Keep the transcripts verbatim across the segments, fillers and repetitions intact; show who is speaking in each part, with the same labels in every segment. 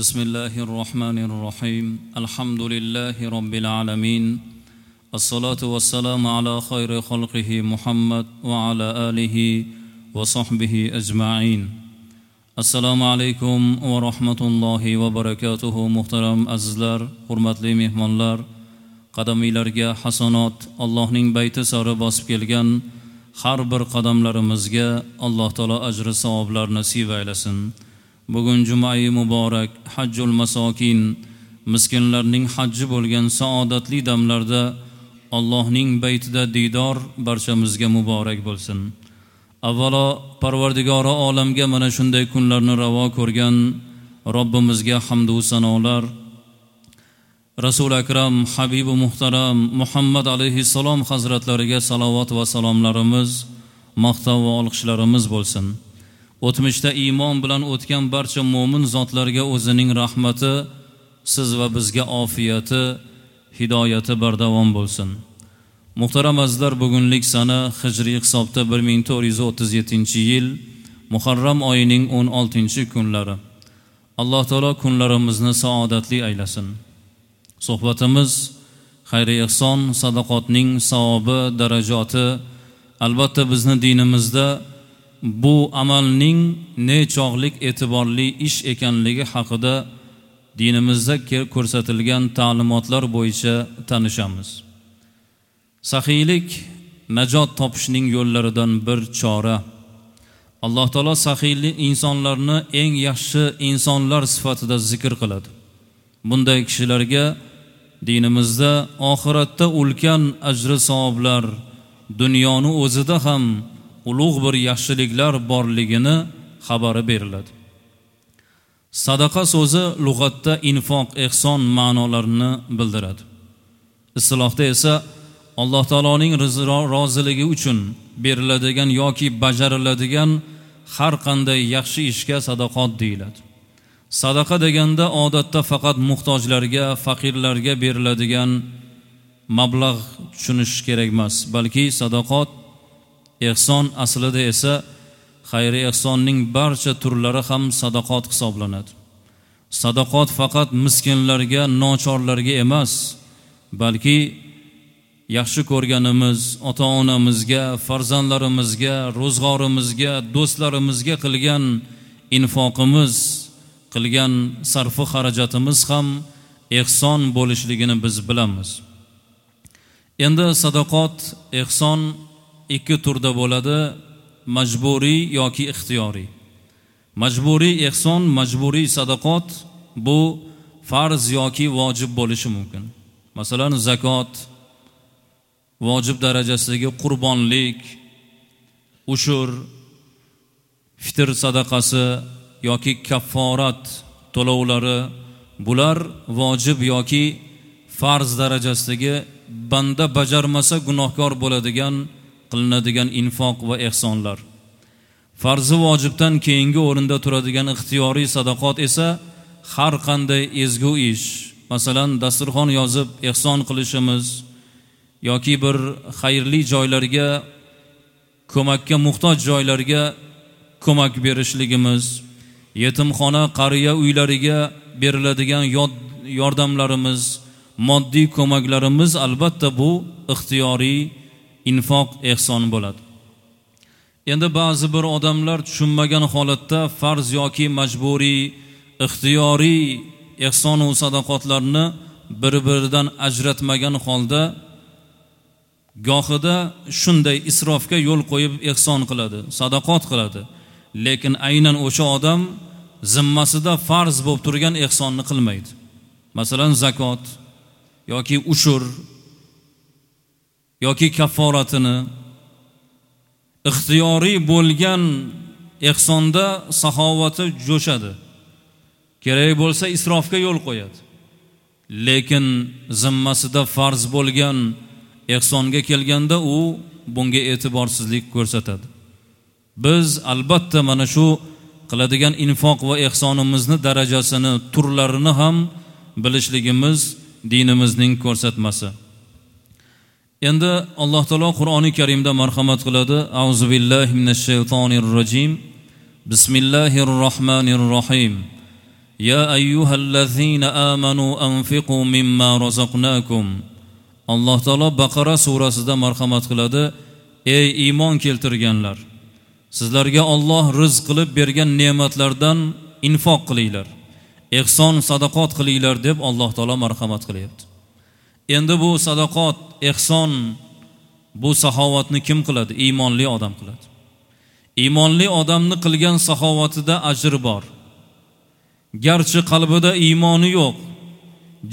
Speaker 1: بسم الله الرحمن الرحيم. الحمد لله رب العالمين. الصلاة والسلام على خير خلقه محمد وعلى آله وصحبه أجمعين. Assalomu alaykum va rahmatullohi va barakatuhu. Muhtaram azizlar, hurmatli mehmonlar, qadamiylarga hasanot, Allohning bayti sari bosib kelgan har bir qadamlarimizga Alloh taolo ajri savoblar nasib aylasin. Bugun jumai muborak, hajjul masokin, miskinlarning hajji bo'lgan saodatli damlarda Allohning baytida diydor barchamizga muborak bo'lsin. Avvalo Parvardigori olamga mana shunday kunlarni ravo ko'rgan Robbimizga hamd va sanolar, Rasul akram habibi muhtaram Muhammad alayhissalom hazratlariga salovat va salomlarimiz, maqtov va olqishlarimiz bo'lsin. O'tmishda iymon bilan o'tgan barcha mo'min zotlarga o'zining rahmati, siz va bizga ofiyati, hidoyati bardavom bo'lsin. Muhtaram azizlar, bugunlik sana hijriy hisobda bir ming to'rt yuz o'ttiz yettinchi yil Muharram oyining o'n oltinchi kunlari. Alloh taolo kunlarimizni saodatli aylasin. Suhbatimiz xayr ihson, sadaqotning savobi, darajoti, albatta bizni dinimizda bu amalning nechog'lik e'tiborli ish ekanligi haqida dinimizda ko'rsatilgan ta'limotlar bo'yicha tanishamiz. Saxiylik najot topishning yo'llaridan bir chora. Alloh taolo saxiyli insonlarni eng yaxshi insonlar sifatida zikr qiladi. Bunday kishilarga dinimizda oxiratda ulkan ajri savoblar, dunyoni o'zida ham ulug' bir yaxshiliklar borligini xabari beriladi. Sadaqa so'zi lug'atda infoq, ehson ma'nolarini bildiradi. Istilohda esa Alloh taoloning roziligi uchun beriladigan yoki bajariladigan har qanday yaxshi ishga sadaqot deyiladi. Sadaqa deganda odatda faqat muhtojlarga, faqirlarga beriladigan mablag' tushunish kerak emas, balki sadaqot, ehson aslida esa xayr ehsonning barcha turlari ham sadaqot hisoblanadi. Sadaqot faqat miskinlarga, nochorlarga emas, balki yaxshi ko'rganimiz ota-onamizga, farzandlarimizga, ro'zg'orimizga, do'stlarimizga qilgan infoqimiz, qilgan sarfu xarajatimiz ham ehson bo'lishligini biz bilamiz. Endi sadaqot, ehson ikki turda bo'ladi: majburiy yoki ixtiyoriy. Majburiy ehson, majburiy sadaqot bu farz yoki vojib bo'lishi mumkin. Masalan, zakot, vojib darajasidagi qurbonlik, ushur, fitr sadaqasi yoki kafforat to'lovlari, bular vojib yoki farz darajasidagi banda bajarmasa gunohkor bo'ladigan qilinadigan infoq va ehsonlar. Farzi vojibdan keyingi o'rinda turadigan ixtiyoriy sadaqot esa har qanday ezgu ish, masalan, dasturxon yozib ehson qilishimiz yoki bir xayrli joylarga, ko'makka muhtoj joylarga ko'mak berishligimiz, yetimxona, qariya uylariga beriladigan yordamlarimiz, moddiy ko'maklarimiz, albatta bu ixtiyoriy infoq, ehson bo'ladi. Endi ba'zi bir odamlar tushunmagan holatda farz yoki majburiy, ixtiyoriy ehson va sadaqotlarni bir-biridan ajratmagan holda gohida shunday isrofga yo'l qo'yib ehson qiladi, sadaqot qiladi. Lekin aynan o'sha odam zimmasida farz bo'lib turgan ehsonni qilmaydi. Masalan, zakot yoki ushur yoki kafforatini ixtiyoriy bo'lgan ehsonda saxovati jo'shadi. Kerak bo'lsa isrofga yo'l qo'yadi. Lekin zimmasida farz bo'lgan ehsonga kelganda u bunga e'tiborsizlik ko'rsatadi. Biz albatta mana shu qiladigan infoq va ehsonimizni darajasini, turlarini ham bilishligimiz dinimizning ko'rsatmasi. Endi Alloh taolo Qur'oni Karimda marhamat qiladi. Auzu billahi minash shaytonir rojim. Bismillahir rohmanir rohim. Ya ayyuhallazina amanu anfiqu mimma razaqnakum. Alloh taolo Baqara surasida marhamat qiladi: ey iymon keltirganlar, sizlarga Alloh rizq qilib bergan ne'matlardan infoq qilinglar, ehson sadaqot qilinglar deb Alloh taolo marhamat qilyapti. Endi bu sadaqot, ehson, bu saxovatni kim qiladi? Iymonli odam qiladi. Iymonli odamni qilgan saxovatida ajr bor. Garchi qalbida iymoni yo'q,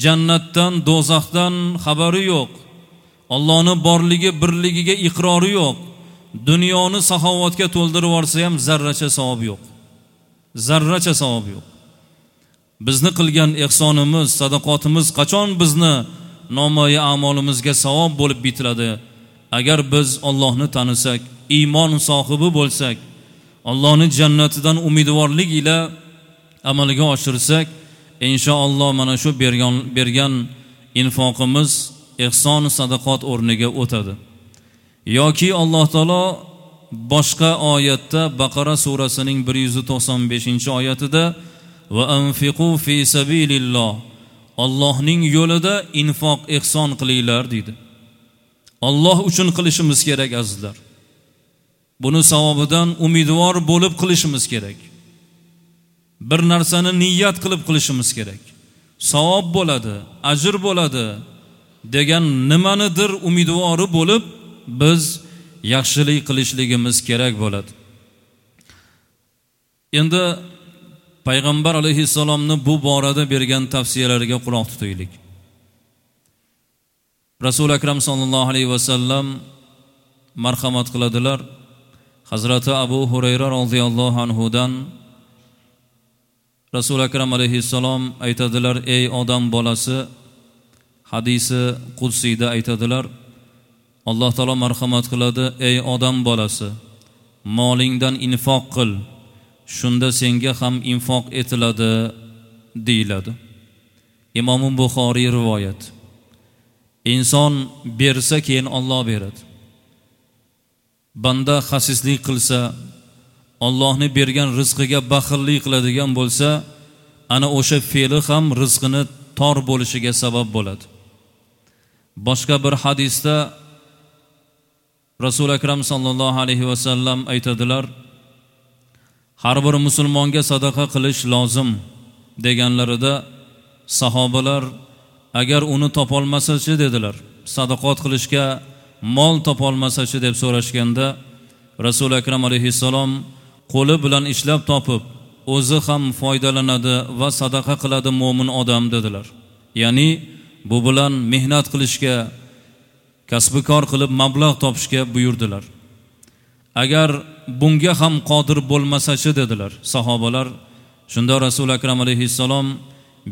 Speaker 1: jannatdan, do'zaxdan xabari yo'q, Allohning borligi, birligiga iqrori yo'q, dunyoni saxovatga to'ldirib yuborsa ham zarracha savob yo'q. Zarracha savob yo'q. Bizni qilgan ehsonimiz, sadaqotimiz qachon bizni nomoi a'molimizga savob bo'lib bitiladi? Agar biz Allohni tanisak, iymon sohibi bo'lsak, Allohning jannatidan umidvorlik ila amalga oshirsak, inshaalloh mana shu bergan bergan infoqimiz ehson sadaqot o'rniga o'tadi. Yoki Alloh taolo boshqa oyatda Baqara surasining bir yuz to'qson beshinchi oyatida va anfiqu fi sabililloh, Allohning yo'lida infoq ehson qilinglar deydi. Alloh uchun qilishimiz kerak azizlar. Buni savobidan umidvor bo'lib qilishimiz kerak. Bir narsani niyat qilib qilishimiz kerak. Savob bo'ladi, ajr bo'ladi degan nimanidir umidvori bo'lib biz yaxshilik qilishligimiz kerak bo'ladi. Endi Payg'ambar alayhissalomni bu borada bergan tavsiyalariga quloq tutaylik. Rasul akram sallallohu alayhi vasallam marhamat qiladilar. Hazrati Abu Hurayra roziyallohu anhudan Rasul akram alayhissalom aytadilar: ey odam bolasi, hadisi qudsiyda aytadilar, Alloh taolo marhamat qiladi: ey odam bolasi, molingdan infoq qil, shunda senga ham infoq etiladi deyiladi. Imom Buxoriy rivoyat. Inson bersa keyin Alloh beradi. Banda xasislik qilsa, Allohni bergan rizqiga baxillik qiladigan bo'lsa, ana o'sha fe'li ham rizqini tor bo'lishiga sabab bo'ladi. Boshqa bir hadisda Rasul akram sallallohu alayhi vasallam aytadilar: har bir musulmonga sadaqa qilish lozim deganlarida sahobalar agar uni topolmasa-chi dedilar. Sadaqot qilishga mol topolmasa-chi deb so'rashganda Rasul akram alayhissalom qo'li bilan ishlab topib o'zi ham foydalanadi va sadaqa qiladi mo'min odam dedilar. Ya'ni bu bilan mehnat qilishga, kasbikor qilib mablag' topishga buyurdilar. Agar bunga ham qodir bo'lmasa-chi dedilar sahobalar. Shunda Rasul akram alayhissalom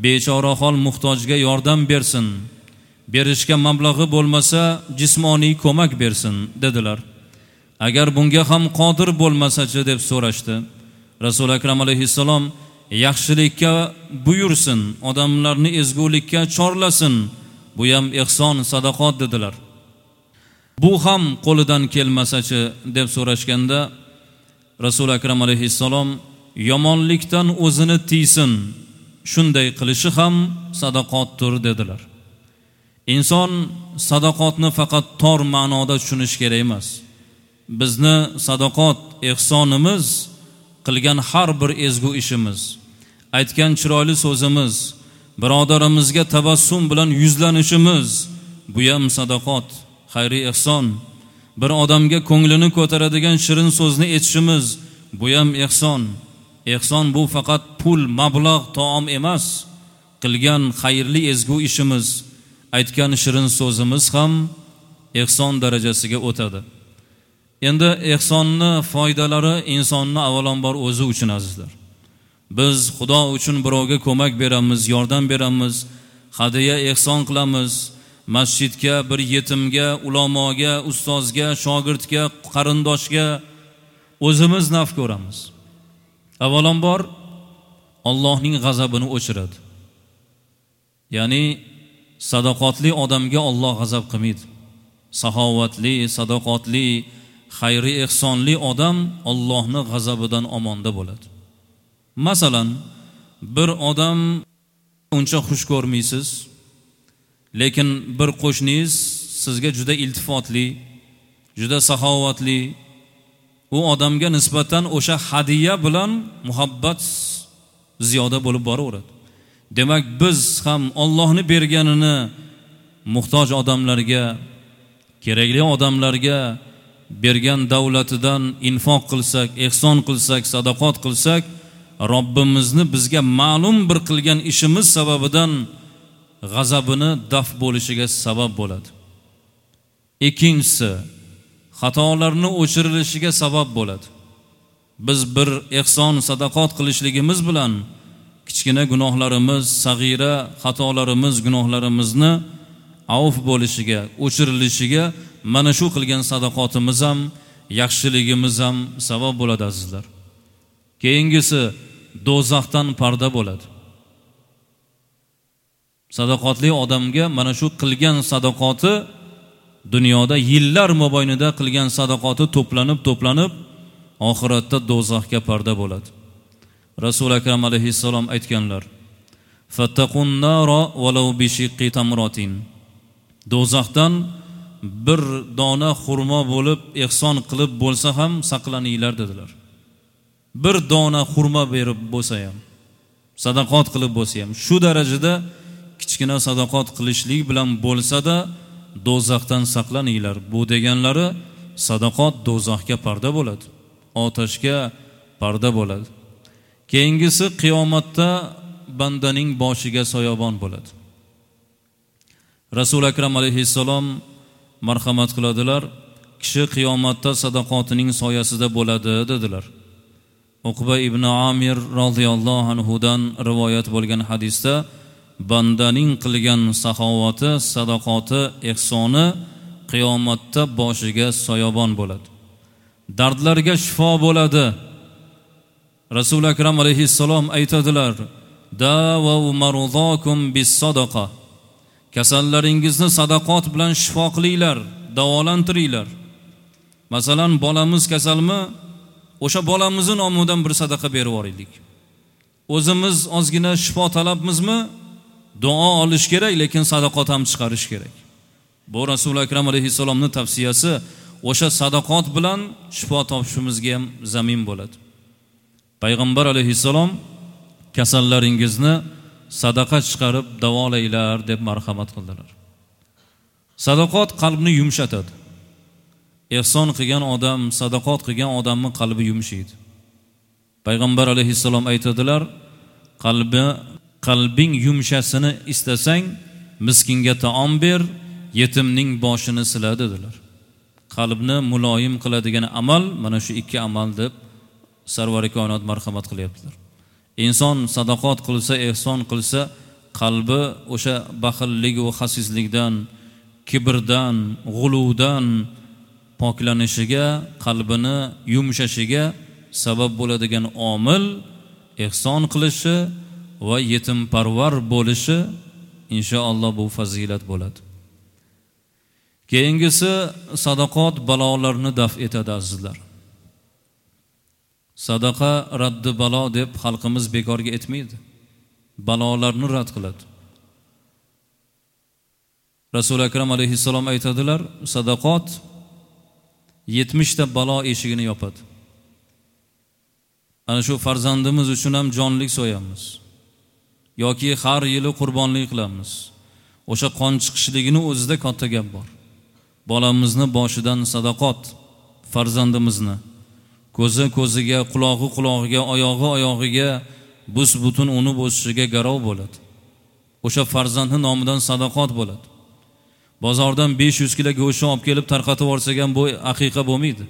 Speaker 1: bechora hol muhtojga yordam bersin, berishga mablag'i bo'lmasa jismoniy ko'mak bersin dedilar. Agar bunga ham qodir bo'lmasa-chi deb so'rashdi. Rasul akram alayhissalom yaxshilikka buyursin, odamlarni ezgulikka chorlasin, bu ham ehson sadaqot dedilar. Bu ham qo'lidan kelmasa-chi deb so'rashganda Rasul akram alayhissalom yomonlikdan o'zini tiysin, shunday qilishi ham sadaqotdir dedilar. Inson sadaqotni faqat tor ma'noda tushunish kerak emas. Bizni sadaqot, ehsonimiz, qilgan har bir ezgu ishimiz, aytgan chiroyli so'zimiz, birodarimizga tabassum bilan yuzlanishimiz, bu ham sadaqot, xayri ehson. Bir odamga ko'nglini ko'taradigan shirin so'zni aytishimiz, bu ham ehson. Ehson bu faqat pul, mablag', taom emas. Qilgan xayrli ezgu ishimiz, aytgan shirin so'zimiz ham ehson darajasiga o'tadi. Endi ehsonni foydalari insonni avvalambor o'zi uchun azizlar. Biz Xudo uchun birovga ko'mak beramiz, yordam beramiz, hadiya ehson qilamiz, masjidga, bir yetimga, ulamoga, ustozga, shogirdga, qarindoshga o'zimiz naf ko'ramiz. Avvalambor Allohning g'azabini o'chiradi. Ya'ni sadaqotli odamga Alloh g'azab qilmaydi. Saxovatli, sadaqotli, xayri ehsonli odam Allohning g'azabidan omonda bo'ladi. Masalan, Bir odam uncha xush ko'rmaysiz, lekin bir qo'shningiz sizga juda iltifotli, juda saxovatli. U odamga nisbatan o'sha hadiya bilan muhabbat ziyoda bo'lib boraveradi. Demak, biz ham Allohni berganini muhtoj odamlarga, kerakli odamlarga bergan davlatidan infoq qilsak, ehson qilsak, sadaqot qilsak, Robbimizni bizga ma'lum bir qilgan ishimiz sababidan g'azabini daf bo'lishiga sabab bo'ladi. Ikkinchisi, xatolarni o'chirilishiga sabab bo'ladi. Biz bir ehson, sadaqot qilishligimiz bilan kichkina gunohlarimiz, sag'ira xatolarimiz, gunohlarimizni avf bo'lishiga, o'chirilishiga mana shu qilgan sadaqotimiz ham, yaxshiligimiz ham sabab bo'ladi azizlar. Keyingisi, do'zaxdan parda bo'ladi. Sadaqotli odamga mana shu qilgan sadaqoti dunyoda yillar mobaynida qilgan sadaqoti to'planib to'planib oxiratda do'zaxga parda bo'ladi. Rasul akram alayhissalom aytganlar: "Fattaqun nara walau bi shiqqi tamratin." Do'zaxdan bir dona xurmo bo'lib ehson qilib bo'lsa ham saqlaninglar dedilar. Bir dona xurmo berib bo'lsa ham, sadaqot qilib bo'lsa ham, shu darajada kichkina sadaqot qilishlik bilan bo'lsa-da do'zaxdan saqlaninglar. Bu deganlari sadaqot do'zaxga parda bo'ladi, otashga parda bo'ladi. Keyingisi, qiyomatda bandaning boshiga soyabon bo'ladi. Rasul akram alayhissalom marhamat qiladilar, kishi qiyomatda sadaqotining soyasida bo'ladi dedilar. Uqba ibn Amir radhiyallohu anhudan rivoyat bo'lgan hadisda bandaning qilgan saxovati, sadaqoti, ehsoni qiyomatda boshiga soyabon bo'ladi. Dardlarga shifo bo'ladi. Rasul akram alayhissalom aytadilar: "Davu marudakum bis-sadaqa." Kasallaringizni sadaqot bilan shifo qilinglar, davolantiringlar. Masalan, bolamiz kasalmi, o'sha bolamizni nomidan bir sadaqa berib yuboraylik. O'zimiz ozgina shifo talabmizmi, duo olish kerak, lekin sadaqot ham chiqarish kerak. Bu Rasul akram alayhissalomning tavsiyasi, o'sha sadaqot bilan shifo topishimizga ham zamin bo'ladi. Payg'ambar alayhissalom kasallaringizni sadaqa chiqarib davolanglar deb marhamat qildilar. Sadaqot qalbni yumshatadi. Ehson qilgan odam, sadaqot qilgan odamning qalbi yumshaydi. Payg'ambar alayhissalom aytadilar: qalbi qalbing yumshasini istasang, miskinga taom ber, yetimning boshini sila dedilar. Qalbni muloyim qiladigan amal mana shu ikki amal deb Sarvari koinot marhamat qilyaptilar. Inson sadaqot qilsa, ehson qilsa, qalbi o'sha baxillik va xasislikdan, kibrdan, g'uluvdan poklanishiga, qalbini yumshashiga sabab bo'ladigan omil ehson qilishi va yetimparvar bo'lishi, inshaalloh bu fazilat bo'ladi. Keyingisi, sadaqot balolarni daf etadi azizlar. Sadaqa raddi balo deb xalqimiz bekorga aytmaydi. Balolarni rad qiladi. Rasul akram alayhissalom aytadilar, sadaqot yetmishta balo eshigini yopadi. Ana shu farzandimiz uchun ham jonlik so'yamiz yoki har yili qurbonlik qilamiz. O'sha qon chiqishligini o'zida katta gap bor. Bolamizni boshidan sadaqot, farzandimizni ko'zi ko'ziga, qulog'i qulog'iga, oyog'i oyog'iga bus butun uni bo'shishiga garov bo'ladi. O'sha farzandning nomidan sadaqot bo'ladi. Bozordan besh yuz kilo go'sht olib kelib tarqatib yuborsak ham bu aqiqa bo'lmaydi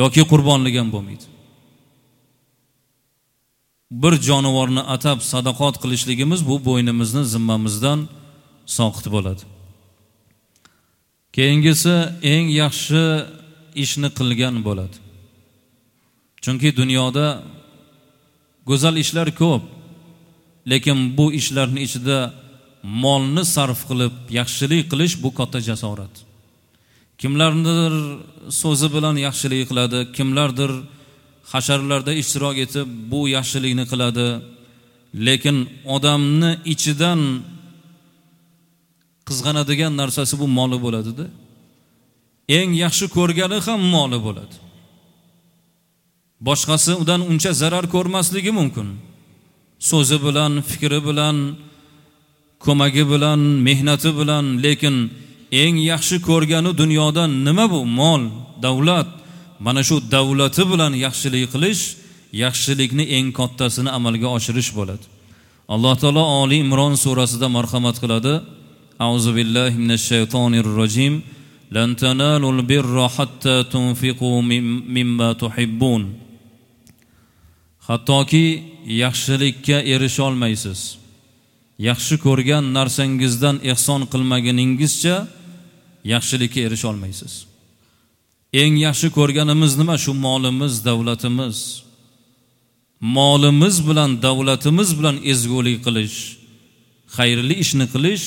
Speaker 1: yoki qurbonlik ham bo'lmaydi. Bir jonivorni atab sadaqot qilishligimiz bu bo'ynimizni zimmamizdan soqit bo'ladi. Keyingisi, eng yaxshi ishni qilgan bo'ladi. Chunki dunyoda go'zal ishlar ko'p, lekin bu ishlarning ichida molni sarf qilib yaxshilik qilish bu katta jasorat. Kimlardir so'zi bilan yaxshilik qiladi, kimlardir hasharlarda ishtirok etib bu yaxshilikni qiladi, Lekin odamni ichidan qizg'anadigan narsasi bu moli bo'ladi-da. Eng yaxshi ko'rgani ham moli bo'ladi. Boshqasi undan uncha zarar ko'rmasligi mumkin. So'zi bilan, fikri bilan, ko'magi bilan, mehnati bilan, lekin eng yaxshi ko'rgani dunyoda nima bu? Mol, davlat. Mana shu davlati bilan yaxshilik qilish, yaxshilikni eng kattasini amalga oshirish bo'ladi. Alloh taolo Oli Imron surasida marhamat qiladi. A'uzu billahi minash shaytonir rojim. Lan tanalul birra hatta tunfiqu mimma tuhibbun. Hattoki yaxshilikka erisha olmaysiz. Yaxshi ko'rgan narsangizdan ehson qilmaganingizcha yaxshilikka erisha olmaysiz. Eng yaxshi ko'rganimiz nima? Shu molimiz, davlatimiz. Molimiz bilan, davlatimiz bilan ezgulik qilish, xayrli ishni qilish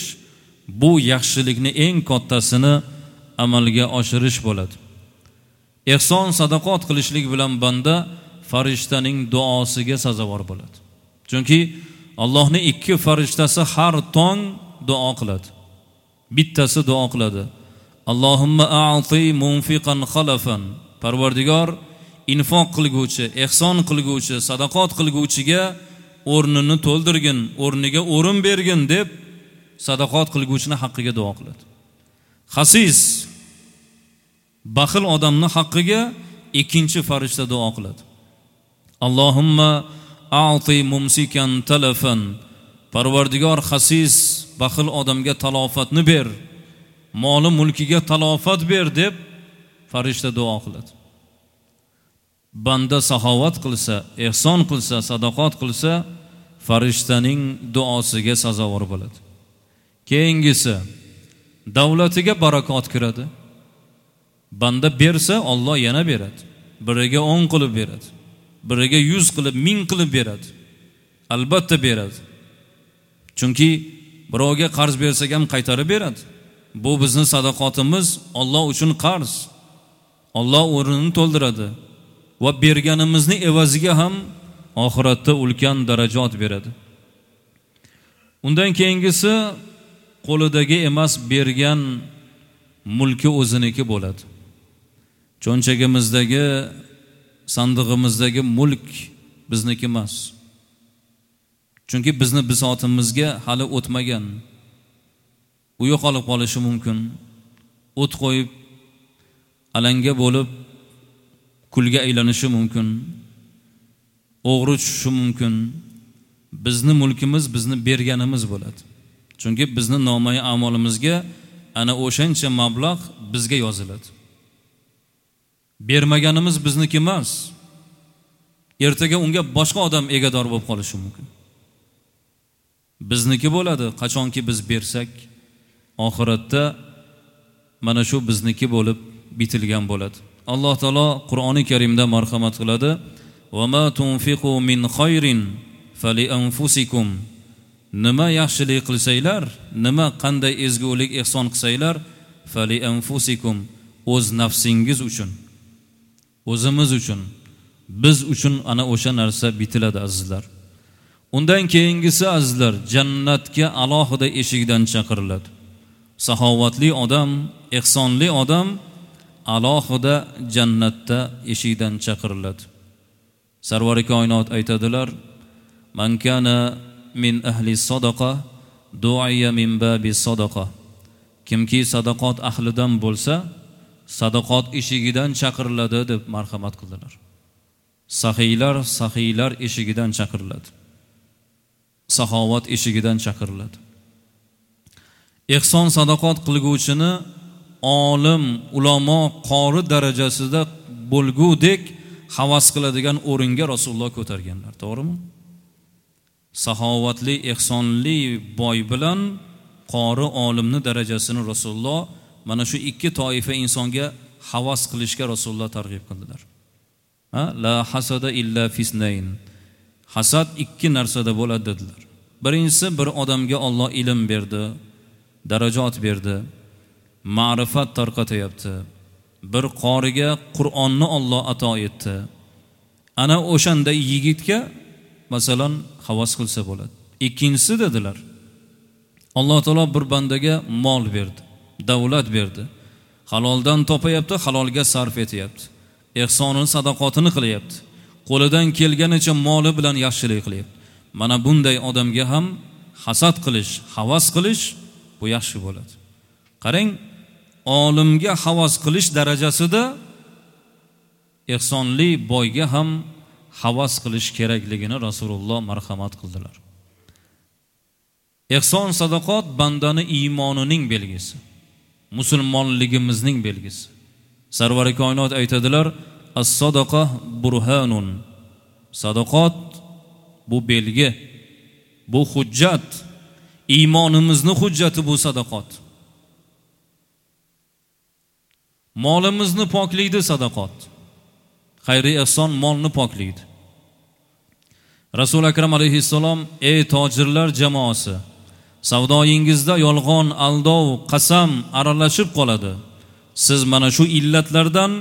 Speaker 1: bu yaxshilikni eng kattasini amalga oshirish bo'ladi. Ehson sadaqot qilishlik bilan banda farishtaning duosiga sazovor bo'ladi. Chunki Allohning ikki farishtasi har tong duo qiladi. Bittasi duo qiladi. Allohumma a'ti munfiqan khalafan. Parvardigor, infoq qilguvchi, ehson qilguvchi, sadaqot qilguvchiga o'rnini to'ldirgin, o'rniga o'rin bergin deb sadaqot qilguvchini haqqiga duo qiladi. Xasis, baxil odamni haqqiga ikkinchi farishta duo qiladi. Allohumma a'ti mumsikan talafan. Parvardigor, xasis, baxil odamga talofatni ber, moli mulkiga talofat ber deb farishta duo qiladi. Banda saxovat qilsa, ehson qilsa, sadaqot qilsa, farishtaning duosiga sazovor bo'ladi. Keyingisi, davlatiga barakot kiradi. Banda bersa, Alloh yana beradi. Biriga o'n qilib beradi, biriga yuz qilib, ming qilib beradi. Albatta beradi. Chunki birovga qarz bersak ham qaytarib beradi. Bu bizning sadaqotimiz Alloh uchun qarz. Alloh o'rnini to'ldiradi va berganimizni evaziga ham oxiratda ulkan darajat beradi. Undan keyingisi qo'lidagi emas, bergan mulki o'ziniki bo'ladi. Cho'nchagimizdagi, sandig'imizdagi mulk bizniki emas. Chunki bizni bisotimizga hali o'tmagan. U yo'qolib qolishi mumkin. O't qo'yib alanga bo'lib kulga aylanishi mumkin. O'g'ri tushishi mumkin. Bizni mulkimiz bizni berganimiz bo'ladi. Chunki bizni nomai amolimizga ana o'shancha mablag' bizga yoziladi. Bermaganimiz bizniki emas. Ertaga unga boshqa odam egador bo'lib qolishi mumkin. Bizniki bo'ladi, qachonki biz bersak, oxiratda mana shu bizniki bo'lib bitilgan bo'ladi. Alloh taolo Qur'oni Karimda marhamat qiladi: "Va ma tunfiqu min khayrin fali anfusikum." Nima yaxshilik qilsanglar, nima qanday ezgulik ehson qilsanglar, fali anfusikum, o'z nafsingiz uchun, o'zimiz uchun, biz uchun ana o'sha narsa bitiladi azizlar. Undan keyingisi azizlar, jannatga alohida eshikdan chaqiriladi. Saxovatli odam, ehsonli odam alohida jannatda eshikdan chaqiriladi. Sarvari koinot aytadilar: "Man kana min ahli sadaqa du'iya min babi sadaqa." Kimki sadaqot ahlidan bo'lsa, sadaqot eshigidan chaqiriladi deb marhamat qildilar. Saxiylar saxiylar eshigidan chaqiriladi. Saxovat eshigidan chaqiriladi. Ehson sadaqot qilguvchini olim, ulamo, qori darajasida bo'lgudek havas qiladigan o'ringa Rasululloh ko'targanlar, to'g'rimi? Saxovatli, ehsonli boy bilan qori olimni darajasini Rasululloh mana shu ikki toifa insonga havas qilishga Rasululloh targ'ib qildilar. Ha, la hasada illa fisnayn. Hasad ikki narsada bo'ladi dedilar. Birinchisi, bir odamga Alloh ilm berdi, darajat berdi, ma'rifat tarqatyapti. Bir qoriga Qur'onni Alloh ato etdi. Ana o'shanda yigitga masalan havas qilsa bo'ladi. Ikkinchisi dedilar, Alloh taolo bir bandaga mol berdi, davlat berdi. Haloldan topayapti, halolga sarf etyapti. Ehsonini, sadaqotini qilyapti. Qo'lidan kelganicha moli bilan yaxshilik qilyapti. Mana bunday odamga ham hasad qilish, havas qilish bu yaxshi bo'ladi. Qarang, olimga havas qilish darajasida ehsonli boyga ham havas qilish kerakligini Rasululloh marhamat qildilar. Ehson sadaqot bandani iymonining belgisi, musulmonligimizning belgisi. Sarvari koinot aytadilar, as-sadaqa burhanun. Sadaqot bu belgi, bu hujjat, iymonimizni hujjati bu sadaqot. Molimizni poklaydi sadaqot. Xayri ehson molni poklaydi. Rasul akram alayhissalom, ey tojirlar jamoasi, savdoyingizda yolg'on, aldov, qasam aralashib qoladi. Siz mana shu illatlardan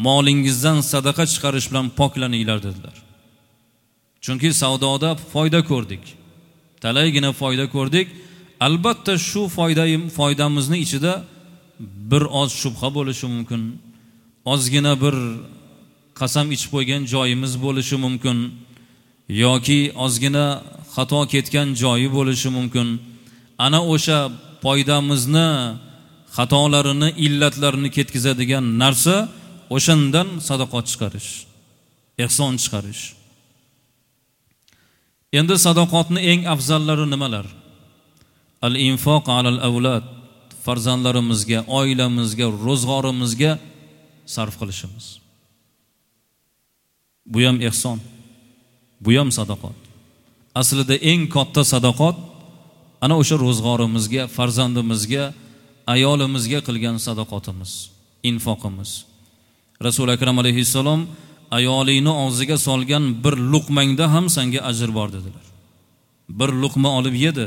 Speaker 1: molingizdan sadaqa chiqarish bilan poklaninglar dedilar. Chunki savdoda foyda ko'rdik. Talaygina foyda ko'rdik. Albatta shu foydayim foydamizni ichida bir oz shubha bo'lishi mumkin. Ozgina bir qasam ichib qo'ygan joyimiz bo'lishi mumkin yoki ozgina xato ketgan joyi bo'lishi mumkin. Ana o'sha foydamizni xatolarini, illatlarini ketkazadigan narsa o'shandan sadaqot chiqarish, ehson chiqarish. Endi sadaqotni eng afzallari nimalar? Al-infoq alal avlad, farzandlarimizga, oilamizga, ro'zg'orimizga sarf qilishimiz. Bu ham ehson, bu ham sadaqot. Aslida eng katta sadaqot ana o'sha ro'zg'orimizga, farzandimizga, ayolimizga qilgan sadaqotimiz, infoqimiz. Rasul akram alayhissalom ayolingni og'ziga solgan bir luqmangda ham senga ajr bor dedilar. Bir luqma olib yedi,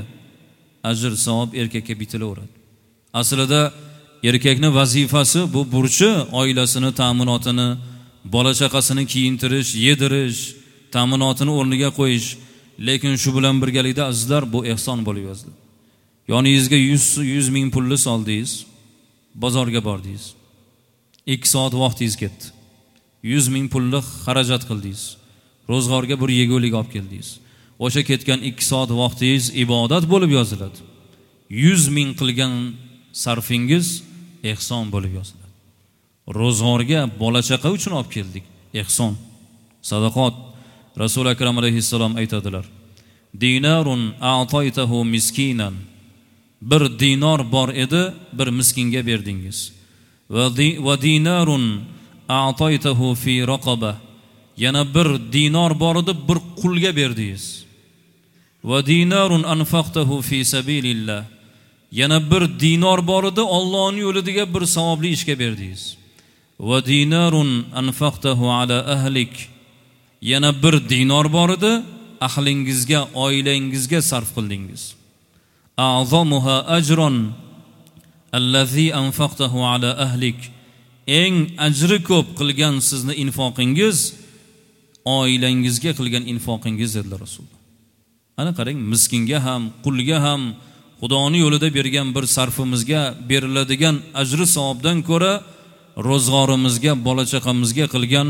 Speaker 1: ajr savob erkakka bitilaveradi. Aslida erkakning vazifasi bu burchi oilasini ta'minotini, bola chaqasini kiyintirish, yedirish, ta'minotini o'rniga qo'yish. Lekin shu bilan birgalikda azizlar bu ehson bo'lib yozdi. Yoningizga yuz ming pulni soldingiz, bozorga bordingiz. ikki soat vaqtingiz ketdi. yuz ming pulni xarajat qildingiz. Ro'zg'orga bir yegulik olib keldingiz. O'sha ketgan ikki soat vaqtingiz ibodat bo'lib yoziladi. yuz ming qilgan sarfingiz ehson bo'lib yoziladi. Ro'zg'orga bola chaqa uchun olib keldik. Ehson, sadaqot. Rasul akram alayhissalom aytadilar: Dinarun a'taytahu miskinan. Bir dinor bor edi, bir miskinga berdingiz. Va dinarun a'taytahu fi raqaba. Yana bir dinor bor edi, bir qulga berdingiz. Va dinarun anfaqtahu fi sabilillah. Yana bir dinor bor edi, Allohning yo'lidagi bir savobli ishga berdingiz. Va dinarun anfaqtahu ala ahlik. Yana bir dinor bor edi, ahlingizga, oilangizga sarf qildingiz. A'zamuha ajran allazi anfaqtahu ala ahlik. Eng ajri ko'p qilgan sizni infoqingiz oilangizga qilgan infoqingiz dedilar Rasululloh. Ana qarang, miskinga ham, qulga ham Xudoning yo'lida bergan bir sarfimizga beriladigan ajri savobdan ko'ra ro'zg'orimizga, bola chaqamizga qilgan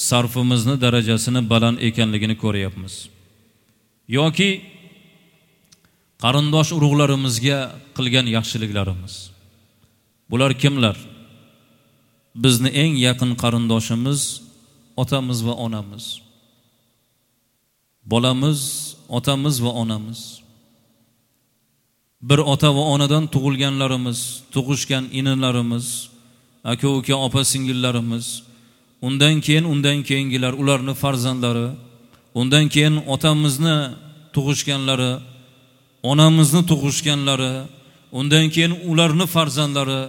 Speaker 1: sarfimizni darajasini baland ekanligini ko'ryapmiz. Yoki qarindosh urug'larimizga qilgan yaxshiliklarimiz. Bular kimlar? Bizni eng yaqin qarindoshimiz otamiz va onamiz. Bolamiz, otamiz va onamiz. Bir ota va onadan tug'ilganlarimiz, tug'ishgan inilarimiz, aka-uka, opa-singillarimiz, undan keyin undan keyingilar, ularning farzandlari, undan keyin otamizni tug'ishganlari, onamizni tug'ishganlari, undan keyin ularning farzandlari.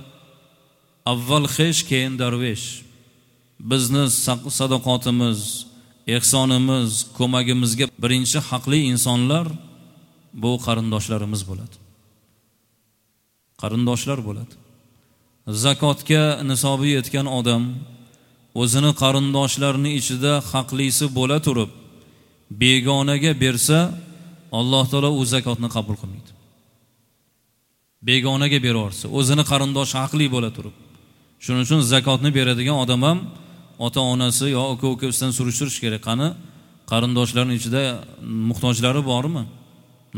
Speaker 1: Avval xesh, keyin darvesh. Bizni sadaqotimiz, ehsonimiz, ko'magimizga birinchi haqli insonlar bu qarindoshlarimiz bo'ladi. Qarindoshlar bo'ladi. Zakotga nisobi yetgan odam o'zini qarindoshlarining ichida haqlisi bo'la turib, Begonaga bersa, Alloh taolo u zakotni qabul qilmaydi. Begonaga beraversa, o'zini qarindoshi haqli bo'la turib. Shuning uchun zakotni beradigan odam ham ota-onasi yo aka-ukasidan surishtirish kerak. Qani qarindoshlarning ichida muhtojlari bormi?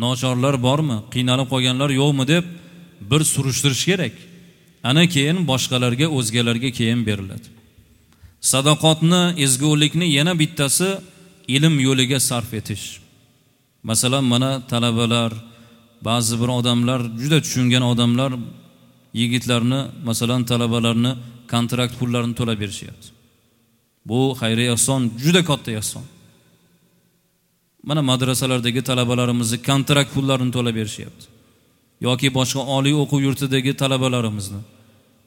Speaker 1: Nochorlar bormi? Qiynalib qolganlar yo'qmi deb bir surishtirish kerak. Ana keyin boshqalarga, o'zgalarga keyin beriladi. Sadaqotni, ezgulikni yana bittasi ilm yo'liga sarf etish. Masalan, mana talabalar, ba'zi bir odamlar, juda tushungan odamlar yigitlarni, masalan, talabalarni kontrakt pullarini to'lab berishyapti. Bu xayriya ehson, juda katta ehson. Mana madrasalardagi talabalarimizni kontrakt pullarini to'lab berishyapti. Yoki boshqa oliy o'quv yurtidagi talabalarimizni.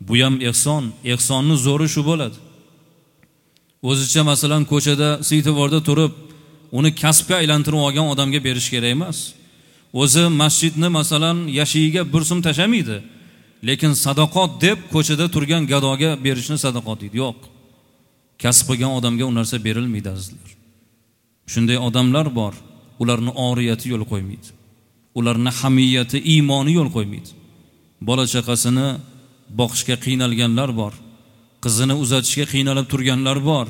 Speaker 1: Bu ham ehson, ehsonning zo'ri shu bo'ladi. O'zicha masalan ko'chada, svetoforda turib, uni kasbga aylantirib olgan odamga berish kerak emas. O'zi masjidni masalan yashigiga bir so'm tashamaydi, lekin sadaqot deb ko'chada turgan gadoga berishni sadaqot deydi. Yo'q. Kasb qilgan odamga u narsa berilmaydi azizlar. Shunday odamlar bor, ularni oriyati yo'l qo'ymaydi. Ularni hamiyati, iymoni yo'l qo'ymaydi. Bola chaqasini boqishga qiynalganlar bor. Qizini uzatishga qiynalib turganlar bor.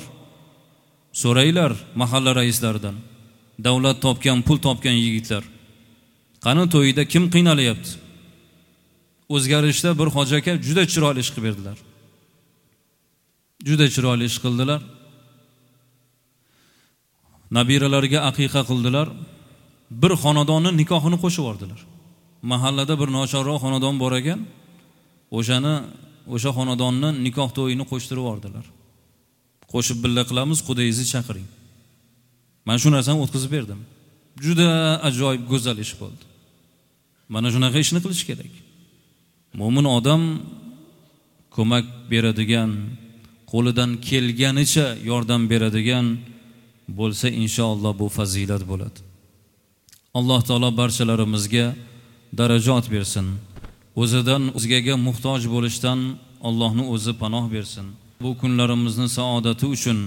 Speaker 1: So'raylar mahalla raislaridan. Davlat topgan, pul topgan yigitlar. Qani to'yida kim qiynalyapti? O'zgarishda bir hoji aka juda chiroyli ish qilib berdilar. Juda chiroyli ish qildilar. Nabiralarga aqiqa qildilar. Bir xonadonning nikohini qo'shib yubordilar. Mahallada bir nochorroq xonadon bor ekan, o'shani o'sha xonadonni nikoh to'yini qo'shtirib yubordilar. Qo'shib billa qilamiz, qudayingizni chaqiring. Men shu narsani o'tkazib berdim. Juda ajoyib go'zal ish bo'ldi. Mana shunaqa ishni qilish kerak. Mo'min odam ko'mak beradigan, qo'lidan kelganicha yordam beradigan bo'lsa, inshaalloh bu fazilat bo'ladi. Alloh taolo barchalarimizga darajat bersin. O'zidan o'zgaga muhtoj bo'lishdan Allohning o'zi panoh bersin. Bu kunlarimizni saodati uchun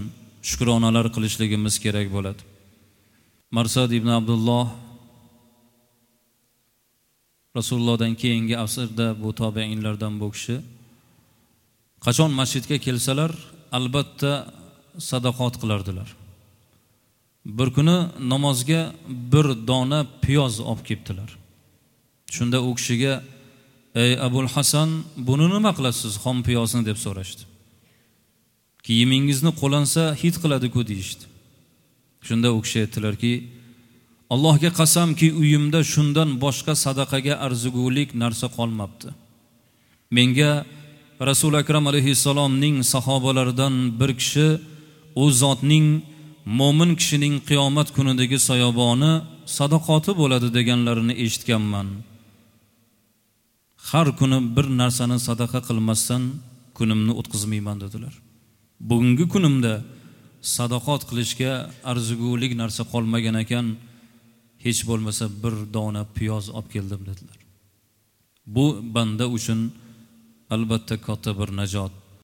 Speaker 1: shukronalar qilishligimiz kerak bo'ladi. Marsad ibn Abdulloh Rasulullohdan keyingi asrda bu tobiinlardan bu kishi qachon masjidga kelsalar albatta sadaqot qilardilar. Bir kuni namozga bir dona piyoz olib kelibdilar. Shunda u kishiga: "Ey Abul Hasan, buni nima qilasiz, xom piyozni?" deb so'rashdi. Kiyimingizni qo'lansa hid qiladi-ku deyishdi. Shunda u kishi aytdilarki: "Allohga qasamki, uyimda shundan boshqa sadaqaga arzigulik narsa qolmabdi. Menga Rasul Akram alayhissalomning sahobalaridan bir kishi u zotning mo'min kishining qiyomat kunidagi soyaboni sadaqoti bo'ladi deganlarini eshitganman. Har kuni bir narsani sadaqa qilmasdan kunimni o'tkazmayman" dedilar. Bugungi kunimda sadaqot qilishga arzigulik narsa qolmagan ekan, hech bo'lmasa bir dona piyoz olib keldim dedilar. Bu banda uchun albatta katta bir najot.